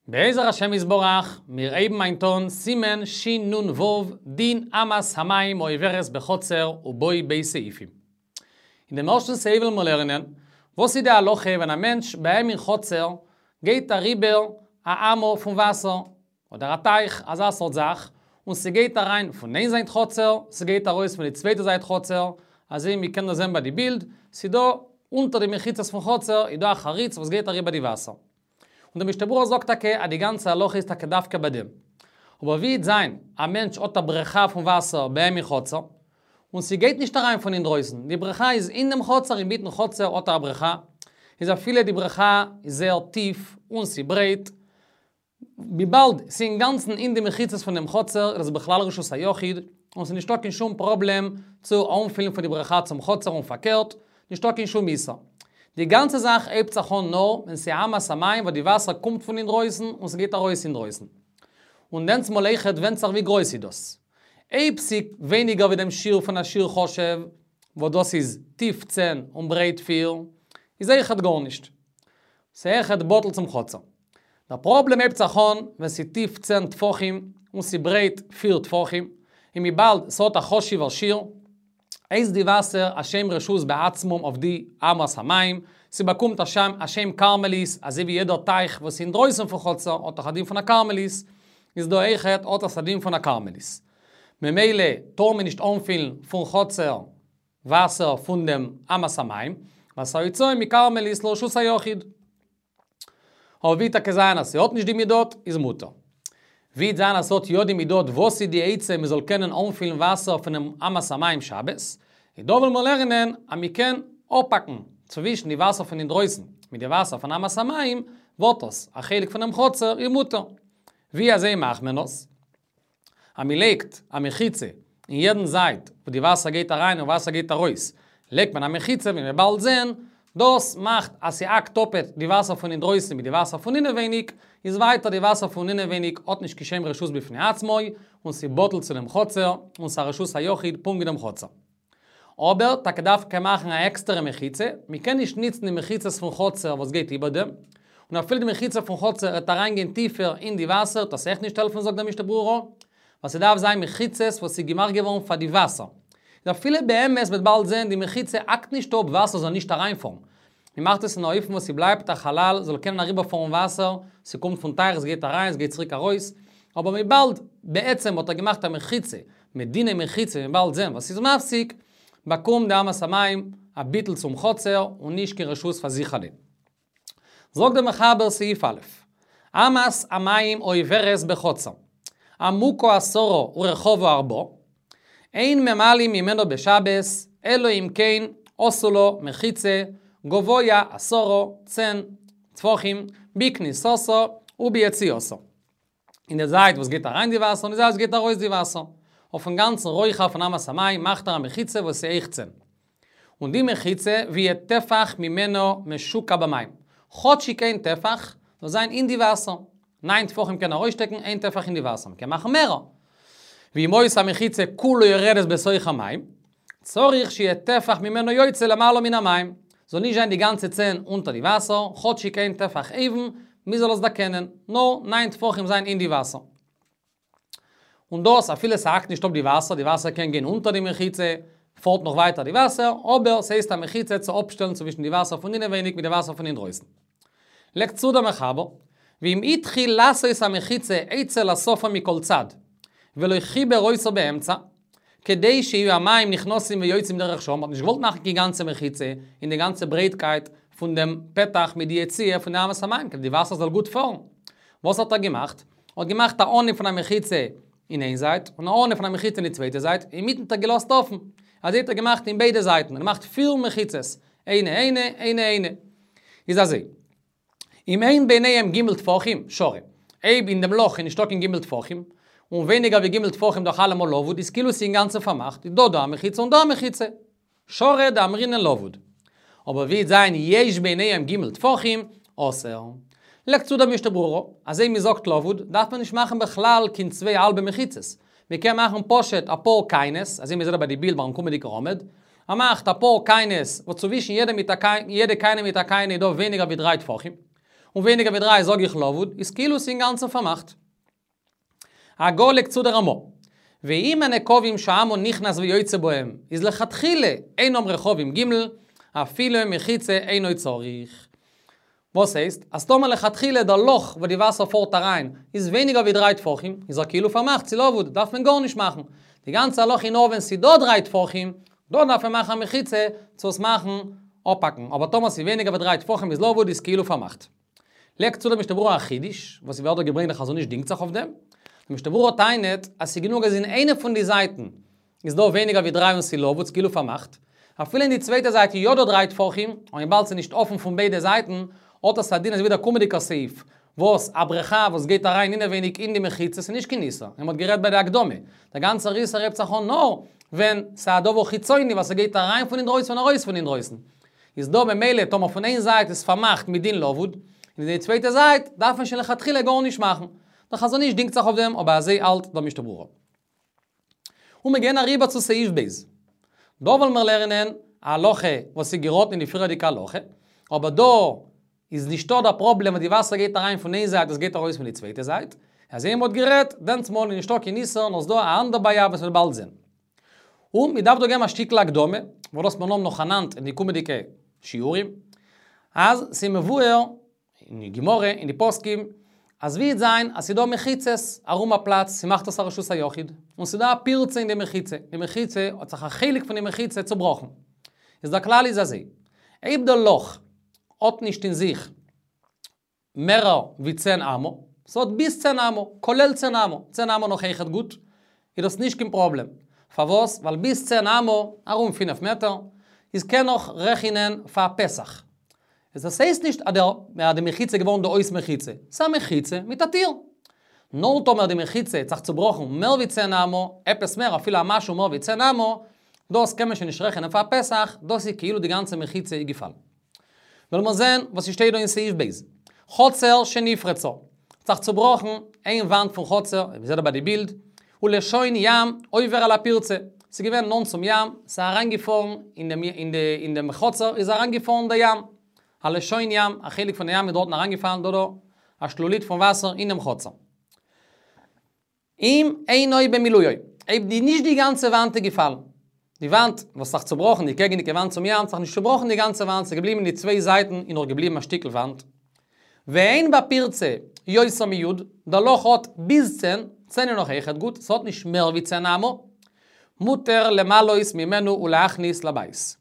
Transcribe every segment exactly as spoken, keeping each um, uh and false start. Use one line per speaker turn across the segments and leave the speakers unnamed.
בעזר השם יתברך, מיר הייבן היינט אן סימן שין נון וו, דין אמת המים העוברת בחצר ובו ב' סעיפים. אין דעם ערשטן סעיף וועלן מיר לערנען, וואס איז די הלכה ווען א מענטש ביי אים אין חצר גייט אריבער א אמה פון וואסער, אדער א טייך, אזא סארט זאך, און ס'גייט אריין פון איין זייט חצר, ס'גייט ארויס פון די צווייטע זייט חצר, אזוי ווי מ'קען דאס זען ביי די בילד, ס'דא אונטער די מחיצות פון חצר איז דא א חריץ וואס גייט אריבער די וואסער. און דער משנה ברורה זאגט טאקע אז די גאנצע הלכה איז טאקע דווקא ביי דעם. אבער ווי וועט זיין, א מענטש האט א בריכה פון וואסער ביי אים אין חצר, און ס'גייט נישט אריין פון אינדרויסן, די בריכה איז אין דעם חצר, אינמיטן חצר האט ער א בריכה, איז אפילו די בריכה איז זייער טיף און ס'ברייט, וויבאלד ס'איז אינגאנצן אין די מחיצות פון דעם חצר, איז עס בכלל רשות היחיד, און ס'איז נישטא קיין שום פראבלעם צו אנפילן פון די בריכה צום חצר און פארקערט, נישטא קיין שום איסור. די גאנצע זאך הייבט זיך אן נאר ווען ס'איז אמת המים וואס די וואסער קומט פון אינדרויסן און ס'גייט ארויס אינדרויסן. און דענסמאל אויכעט ווענדט זיך ווי גרויס איז דאס. אויב ס'איז ווייניגער ווי דעם שיעור פון א שיעור חשוב, וואס דאס איז טיף צען און ברייט פיר, איז אויכעט גארנישט. ס'איז אויכעט בטל צום חצר. דער פראבלעם הייבט זיך אן ווען ס'איז טיף צען טפחים און ס'איז ברייט פיר טפחים, און וויבאלד ס'האט א חשוב'ער שיעור, הייסט די וואסער א שם רשות בעצמם אויף די אמת המים, ס'באקומט א שם א שם כרמלית, אזוי ווי יעדער טייך וואס איז אינדרויסן פון חצר האט דאך א דין פון א כרמלית, איז דא אויכעט האט עס א דין פון א כרמלית. ממילא טאר מען נישט אנפילן פון חצר וואסער פון דעם אמת המים, ווייל ס'איז הוצאה מכרמלית לרשות היחיד. אבער ווי טאקע זיין אז ס'האט נישט די מידות, איז מותר. ווי וועט זיין אז ס'האט יא די מידות, וואס איז די עצה מ'זאל קענען אנפילן וואסער פונעם אמת המים שבת? איז דא וועלן מיר לערנען אז מ'קען אפהאקן צווישן די וואסער פון אינדרויסן מיט די וואסער פון אמת המים, ווערט עס א חלק פונעם חצר, איז מותר. ווי אזוי מאכט מען עס? אז מ'לייגט א מחיצה אין יעדן זייט וואו די וואסער גייט אריין און וואסער גייט ארויס, לייגט מען א מחיצה ווי מ'וועט באלד זען, דאס מאכט אז ס'האקט אפעט די וואסער פון אינדרויסן מיט די וואסער פון אינעווייניג, איז ווייטער די וואסער פון אינעווייניג האט נישט קיין שם רשות בפני עצמו, און ס'בטל צו דעם חצר, און ס'א רשות היחיד פונקט ווי דעם חצר. אבער טאקע דארף מען מאכן א עקסטערע מחיצה, מ'קען נישט ניצן די מחיצות פון חצר וואס גייט איבער דעם, און אפילו די מחיצה פון חצר וועט אריינגיין טיפער אין די וואסער וועט דאס אויך נישט העלפן זאגט דער משנה ברורה, ווייל ס'דארף זיין מחיצות וואס איז געמאכט געווארן פאר די וואסער. איז אפילו באמת מ'וועט באלד זען די מחיצה האקט נישט אפ וואסער זאל נישט אריינפארן. מ'מאכט עס אין א אופן וואס ס'בלייבט א חלל זאל קענען אריבערפארן וואסער, ס'קומט פון טייך ס'גייט אריין ס'גייט צוריק ארויס, אבער וויבאלד בעצם האט ער געמאכט א מחיצה מיט דיני מחיצה ווי מ'וועט באלד זען וואס איז מפסיק, באקומט די אמת המים א ביטול צום חצר און נישט קיין רשות פאר זיך אליין. זאגט דער מחבר סעיף א', אמת המים העוברת בחצר, עמוקה עשרה ורחבה ארבעה, אין ממלאים ממנה בשבת, אלא אם כן עשו לה מחיצה, גבוה עשרה, צען טפחים, בכניסתה וביציאתה. אין די זייט וואס גייט אריין די וואסער און די זייט וואס גייט ארויס די וואסער. אויפן גאנצן רוחב פון אמת המים מאכט ער א מחיצה וואס איז הויך צען. און די מחיצה ויהא טפח ממנה משוקע במים. כאטשיג איין טפח זאל זיין אין די וואסער. ניין טפחים קען ארויסשטעקן, איין טפח אין די וואסער. מ'קען מאכן מערער. ואם היתה המחיצה כולה יורדת בתוך המים, צריך שיהיה טפח ממנו יוצא למעלה מן המים. זאל נישט זיין די גאנצע צען אונטער די וואסער, כאטשיג איין טפח אויבן, מ'זאל עס דערקענען, נאר ניין טפחים זיין אין די וואסער. און דאס אפילו ס'האקט נישט אפ די וואסער, די וואסער קען גיין אונטער די מחיצה, פארט נאך ווייטער די וואסער, אבער ס'הייסט א מחיצה צו אפשטעלן צווישן די וואסער פון אינעווייניג מיט די וואסער פון אינדרויסן. לייגט צו דער מחבר, ואם התחיל לעשות המחיצה אצל הסופה מכל צד, ולא חיבר אותה באמצע, כדי שיהיו המים נכנסים ויוצאים דרך שם, מ'האט נישט געוואלט מאכן קיין גאנצע מחיצה אין די גאנצע ברייטקייט פון דעם פתח מיט די יציאה פון די אמת המים, כדי די וואסער זאל גוט פארן. וואס האט ער געמאכט? ער האט געמאכט א אנהייב פון א מחיצה אין איין זייט, און א אנהייב פון א מחיצה אין די צווייטע זייט, אינמיטן האט ער געלאזט אפן. אזוי האט ער געמאכט אין ביידע זייטן, ער האט געמאכט פיר מחיצות, איינע איינע, איינע איינע. איז אזוי. אם אין ביניהם ג' טפחים, שרי. אויב אין דעם לאך איז נישטא קיין ג' טפחים, און ווייניגער ווי ג' טפחים דאך אלעמאל לבוד, איז כאילו ס'איז אינגאנצן פארמאכט, איז דא דא א מחיצה און דא א מחיצה. שרי דאמרינן לבוד. אבער ווי וועט זיין יש ביניהם ג' טפחים, אסור. לייגט צו דער משנה ברורה, אז אויב מ'זאגט לבוד, דארף מען נישט מאכן בכלל קיין צוויי האלבע מחיצות. מ'קען מאכן פשוט אפאר קיינעס, אזוי מ'זעט דא ביי די בילד ביים קומענדיגן עמוד, ער מאכט אפאר קיינעס וואס צווישן יעדע מיט א יעדע קיינע מיט א קיינע איז דא ווייניגער ווי דריי טפחים, און ווייניגער ווי דריי זאג איך לבוד, איז כאילו ס'איז אינגאנצן פארמאכט. הגהה לייגט צו דער רמ"א. ואם הנקבים שהאמה נכנס ויוצא בהם, איז לכתחילה אינם רחבים ג' אפילו מחיצה אינו צריך. וואס הייסט? אז טאמער לכתחילה דער לאך וואו די וואסער פארט אריין איז ווייניגער ווי דריי טפחים, איז ער כאילו פארמאכט, ס'איז לבוד, דארף מען גארנישט מאכן. די גאנצע הלכה איז נאר ווען ס'איז דא דריי טפחים, דא דארף מען מאכן א מחיצה צו עס מאכן אפהאקן, אבער טאמער ס'איז ווייניגער ווי דריי טפחים איז לבוד איז כאילו פארמאכט. לייגט צו דער משנה ברורה א חידוש, וואס ס'ווערט דא געברענגט דער חזון איש דינגט זיך אויף דעם. דער משנה ברורה טענה'ט אז ס'איז גענוג אז אין איינע פון די זייטן איז דא ווייניגער ווי דריי און ס'איז לבוד, ס'איז כאילו פארמאכט. אפילו אין די צווייטע זייט איז יא דא דריי טפחים, און וויבאלד ס'איז נישט אפן פון ביידע זייטן, האט עס א דין אזוי ווי דער קומענדיגער סעיף, וואס א בריכה וואס גייט אריין אינעווייניג אין די מחיצה איז נישט קיין איסור, ווי מ'האט גערעדט ביי די הקדמה. דער גאנצער איסור הייבט זיך אן נאר ווען ס'איז א דבר חיצוני וואס ס'גייט אריין פון אינדרויסן און ארויס פון אינדרויסן. איז דא במילא טאמער פון איין זייט איז פארמאכט מדין לבוד, און די צווייטע זייט דארף מען שוין לכתחילה גארנישט מאכן. דער חזון איש דינגט זיך אויף דעם, אבער אזוי האלט דער משנה ברורה. און מיר גייען אריבער צו סעיף ב'. דא וועלן מיר לערנען א הלכה וואס איז געראטן אין די פריערדיגע הלכה, אבער דא איז נישטא דער פראבלעם אז די וואסער גייט אריין פון איין זייט עס גייט ארויס פון די צווייטע זייט, אזוי ווי מ'האט גערעדט דענסמאל איז נישטא קיין איסור נאר ס'דא א אנדער בעיה וואס מ'וועט באלד זען. און מ'דארף דא געבן א שטיקל הקדמה, וואס דאס מיר האבן נאכאנאנד אין די קומענדיגע שיעורים, אז ס'איז מבואר אין די גמרא, אין די פוסקים, אז ווי וועט זיין אז ס'איז דא מחיצות ארום א פלאץ, ס'מאכט עס א רשות היחיד, און ס'איז דא א פירצה אין די מחיצה, די מחיצה האט זיך א חלק פון די מחיצה צובראכן. איז דער כלל איז אזוי, אויב דער לאך האט נישט אין זיך מערער ווי צען אמה, ס'האט ביז צען אמה, כולל צען אמה, צען אמה נאך אויכעט גוט, איז דאס נישט קיין פראבלעם. פארוואס? ווייל ביז צען אמה, ארום פינף מעטער, איז קען נאך רעכענען פאר פתח. איז דאס הייסט נישט אז דער די מחיצה איז געווארן דא אויס מחיצה, ס'איז א מחיצה מיט א טיר. נאר טאמער די מחיצה האט זיך צובראכן מער ווי צען אמה, עפעס מער אפילו א משהו מער ווי צען אמה, דאס קען מען שוין נישט רעכענען פאר פתח, דאס איז כאילו די גאנצע מחיצה איז געפאלן. וועלן מיר זען וואס ס'שטייט דא אין סעיף ב'. חצר שנפרצה. האט זיך צובראכן איין וואנט פון חצר, ווי מ'זעט דא ביי די בילד, ולשון ים עובר על הפירצה. ס'איז געווען נאנט צום ים, ס'איז אריינגעפארן אין דעם חצר איז אריינגעפארן דער ים. א לשון ים, א חלק פון די ים איז דארטן אריינגעפאלן דא דא, א שלולית פון וואסער אינעם חצר. אם אינו במילואו, אויב די נישט די גאנצע וואנט איז געפאלן, די וואנט וואס האט זיך צובראכן, די קעגענדיגע וואנט צום ים, האט זיך נישט צובראכן די גאנצע וואנט, ס'איז געבליבן די צוויי זייטן איז נאך געבליבן א שטיקל וואנט. ואין בפירצה יותר מי', דער לאך האט ביז צען, צען איז נאך אויכעט גוט, ס'האט נישט מער ווי צען אמה, מותר למלאות ממנו ולהכניס לבית.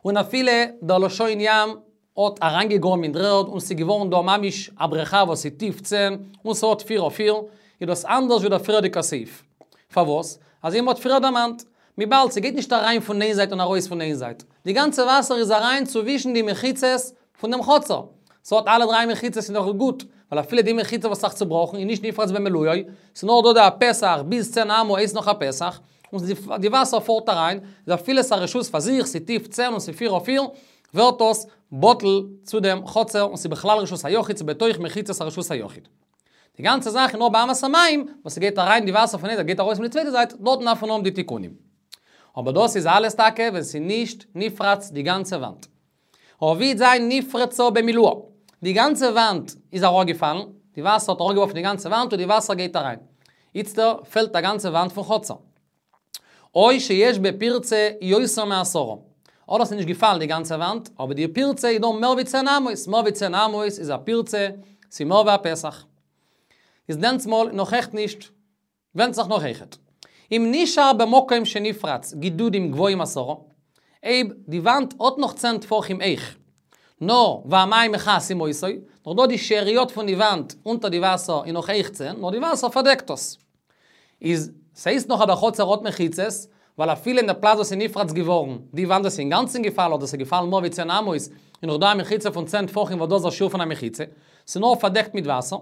און אפילו דער לשון ים האט אריינגעגראבן אין דר'ערד און ס'איז געווארן דא ממש א בריכה וואס איז טיף צען און ס'האט פיר אויף פיר, איז דאס אנדערש ווי דער פריערדיגער סעיף. פארוואס? אזוי ווי מ'האט פריער דערמאנט, וויבאלד ס'גייט נישט אריין פון איין זייט און ארויס פון איין זייט. די גאנצע וואסער איז אריין צווישן די מחיצות פון דעם חצר. ס'האט אלע דריי מחיצות איז נאך גוט, ווייל אפילו די מחיצה וואס האט זיך צובראכן איז נישט נפרץ במילואו, ס'איז נאר דא די פתח ביז צען אמה איז נאך א פתח, און די וואסער פארט אריין, איז אפילו ס'איז א רשות פאר זיך, ס'איז טיף צען און ס'איז פיר אויף פיר, ווערט דאס בטל צו דעם חצר און ס'איז בכלל רשות היחיד, ס'איז בתוך מחיצות הרשות היחיד. די גאנצע זאך איז נאר באמת המים, וואס ס'גייט אריין די וואסער פון איין זייט גייט ארויס פון די צווייטע זייט, דארטן דארף מען האבן די תיקונים. אבער דאס איז אלעס טאקע ווען ס'איז נישט נפרץ די גאנצע וואנט. אבער ווי וועט זיין נפרצה במילואה? די גאנצע וואנט איז אראפגעפאלן, די וואסער האט אראפגעווארפן די גאנצע וואנט און די וואסער גייט אריין. איצטער פעלט א גאנצע וואנט פון חצר. או שיש בפירצה יותר מעשרה. אדער ס'איז נישט געפאלן די גאנצע וואנט, אבער די פירצה איז דא מער ווי צען אמות, מער ווי צען אמות איז א פירצה, ס'איז מער ווי א פתח. איז דענסמאל נאך עכט נישט, ווענדט זיך נאך אויכעט. אם נשאר במקום שנפרץ גידודים גבוהים עשרה, אויב די וואנט האט נאך צען טפחים הויך, נאר והמים מכסים אותו, נאך דא די שאריות פון די וואנט אונטער די וואסער איז נאך הויך צען, נאר די וואסער פארדעקט עס. איז ס'הייסט נאך אז דער חצר האט מחיצות, ווייל אפילו אין די פלאץ וואס איז נפרץ געווארן, די וואנט וואס איז אינגאנצן געפאלן אדער ס'איז געפאלן מער ווי צען אמות, איז נאך דא א מחיצה פון צען טפחים וואס דאס איז א שיעור פון א מחיצה, ס'איז נאר פארדעקט מיט וואסער.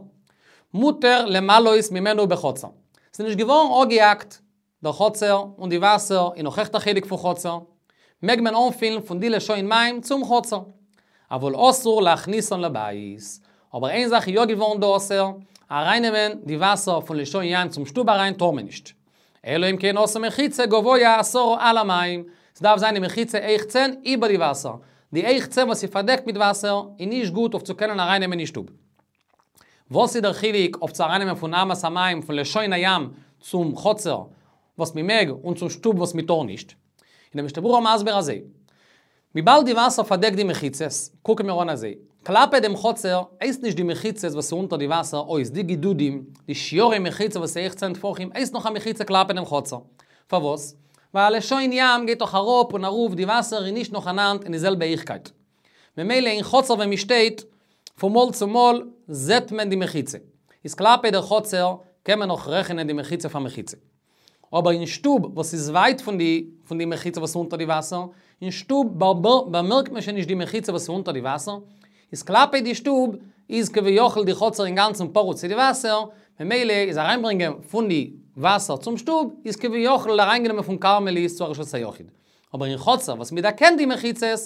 מותר למלאות ממנו בחצר. ס'איז נישט געווארן אפגעהאקט דער חצר און די וואסער איז נאך עכט א חלק פון חצר, מעג מען אנפילן פון די לשון מים צום חצר. אבל אסור להכניסן לבית. אבער איין זאך איז יא געווארן דא אסור, ארייננעמען די וואסער פון לשון ים צום שטוב אריין טאר מען נישט. אלא אם כן עשה מחיצה גבוה עשרה על המים, ס'דארף זיין די מחיצה הויך צען איבער די וואסער. די הויך צען וואס איז פארדעקט מיט וואסער, איז נישט גוט אויף צו קענען ארייננעמען אין שטוב. וואס איז דער חילוק אויף צו ארייננעמען פון אמת המים, פון לשון הים, צום חצר, וואס מ'מעג, און צום שטוב וואס מ'טאר נישט? איז דער משנה ברורה מסביר אזוי. וויבאלד די וואסער פארדעקט די מחיצות, קוקן מיר אן אזוי. כלפי דעם חצר, הייסט נישט די מחיצות וואס איז אונטער די וואסער אויס, די גידודים, די שיורי מחיצה וואס איז הויך צען טפחים, הייסט נאך א מחיצה כלפי דעם חצר. פארוואס? ווייל לשון ים גייט דאך אראפ און ארויף, די וואסער איז נישט נאכאנאנד אין די זעלבע הויכקייט. ממילא אין חצר ווען מ'שטייט, פון מאל צו מאל זעט מען די מחיצה. איז כלפי דער חצר, קען מען נאך רעכענען די מחיצה פאר מחיצה. אבער אין שטוב, וואס איז ווייט פון די, פון די מחיצה וואס איז אונטער די וואסער, אין שטוב באמערקט מען שוין נישט די מחיצה וואס איז אונטער די וואסער, איז כלפי די שטוב, איז כביכול די חצר אינגאנצן פרוץ צו די וואסער, ממילא איז אריינברענגען פון די וואסער צום שטוב, איז כביכול אריינגענומען פון כרמלית צו א רשות היחיד. אבער אין חצר, וואס מ'דערקענט די מחיצות,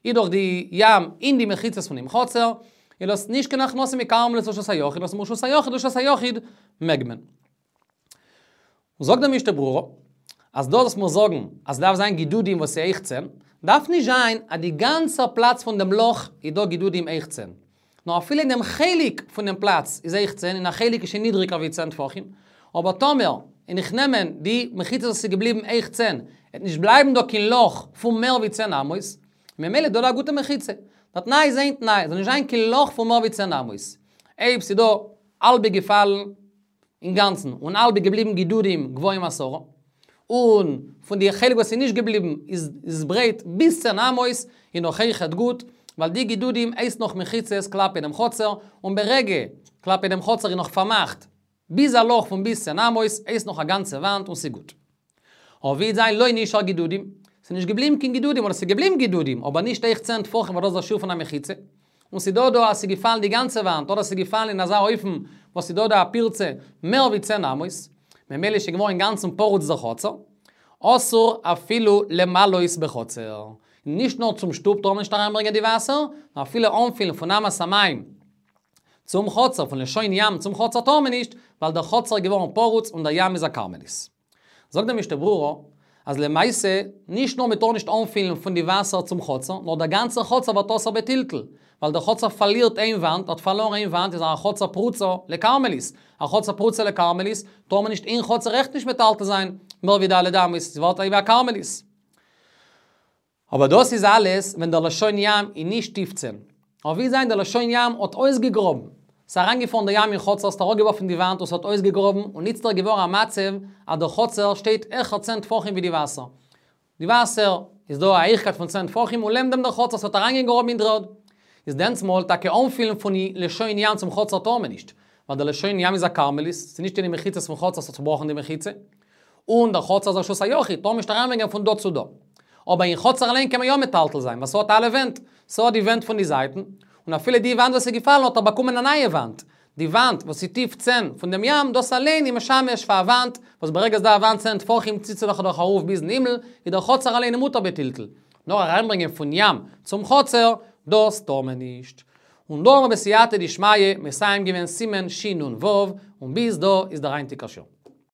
איז דאך די ים אין די מחיצות פון דעם חצר, איז דאס נישט קיין הכנסה מכרמלית לרשות היחיד, דאס מרשות היחיד לרשות היחיד מעג מען. זאגט דער משנה ברורה, אז דאס וואס מיר זאגן, אז דארף זיין גידודים וואס איז הויך צען, דארף נישט זיין אז די גאנצע פלאץ פון דעם לאך איז דא גידודים הויך צען. נאר אפילו אין דעם חלק פון דעם פלאץ איז הויך צען, און א חלק איז שוין נידריגער ווי צען טפחים. אבער טאמער, און איך נעמען די מחיצות וואס איז געבליבן הויך צען, וועט נישט בלייבן דא קיין לאך פון מער ווי צען אמות, ממילא דא דא א גוטע מחיצה. דער תנאי איז איין תנאי, זאל נישט זיין קיין לאך פון מער ווי צען אמות. אויב ס'איז דא האלב געפאלן אינגאנצן, און האלב געבליבן גידודים גבוהים עשרה, און פון די חלק וואס איז נישט געבליבן איז איז ברייט ביז צען אמות, איז נאך אויכעט גוט, ווייל די גידודים הייסט נאך מחיצות כלפי דעם חצר, און ברגע כלפי דעם חצר איז נאך פארמאכט ביז א לאך פון ביז צען אמות, הייסט נאך א גאנצע וואנט און ס'איז גוט. אבער ווי זיין לא נשאר גידודים, ס'איז נישט געבליבן קיין גידודים, אדער ס'איז געבליבן גידודים, אבער נישט הויך צען טפחים, ווייל דאס איז דער שיעור פון א מחיצה. און ס'איז דא דא אז ס'איז געפאלן די גאנצע וואנט, אדער ס'איז געפאלן אין אזא אופן וואס ס'איז דא דא א פירצה מער ווי צען אמות, ממילא איז שוין געווארן אינגאנצן פרוץ דער חצר, אסור אפילו למלאות בחצר. נישט נאר צום שטוב טאר מען נישט אריינברענגען די וואסער, נאר אפילו אנפילן פון אמת המים צום חצר, פון לשון ים צום חצר טאר מען נישט, ווייל דער חצר איז געווארן פרוץ און דער ים איז א כרמלית. זאגט דער משנה ברורה, אז למעשה, נישט נאר מען טאר נישט אנפילן פון די וואסער צום חצר, נאר דער גאנצער חצר ווערט אסור בטלטול, ווייל דער חצר פארלירט איין וואנט, האט פארלארן איין וואנט, איז א חצר פרוצה לכרמלית. א חצר פרוצה לכרמלית, טאר מען נישט אין חצר אויכעט נישט מטלטל זיין, מער ווי ד' אמות, עס ווערט ווי א כרמלית. אבער דאס איז אלעס ווען דער לשון ים איז נישט טיף צען. אבער ווי זיין דער לשון ים האט אויסגעגראבן, ס'איז אריינגעפארן דער ים אין חצר, ס'האט אראפגעווארפן די וואנט און ס'האט אויסגעגראבן, און איצטער איז געווארן א מצב אז דער חצר שטייט העכער צען טפחים ווי די וואסער. די וואסער איז דא א הייכקייט פון צען טפחים און לעבן דעם דער חצר, ס'האט אריינגעגראבן אין דר'ערד. איז דענסמאל טאקע אנפילן פון לשון ים צום חצר טאר מען נישט, ווייל דער לשון ים איז א כרמלית, ס'איז נישט אין די מחיצות פון חצר, ס'האט צובראכן די מחיצה. און דער חצר איז רשות היחיד, טאר מען נישט אריינברענגען פון דא צו דא. אבער אין חצר אליין קען מען יא מטלטל זיין, ווייל ס'האט אלע ווענט, ס'האט די ווענט פון די זייטן, און אפילו די וואנט וואס איז געפאלן האט ער באקומען א נייע וואנט. די וואנט וואס איז טיף צען פון דעם ים, דאס אליין איז משמש פאר א וואנט, וואס ברגע ס'דא א וואנט צען טפחים ציט זיך דאך ארויף ביזן הימל, איז דער חצר אליין מותר בטלטול. נאר אריינברענגען פון ים צום חצר, דאס טאר מען נישט. און דא האבן מיר בסייעתא דשמיא מסיים געווען סימן שין נון וו, און ביז דא איז דער היינטיגער שיעור.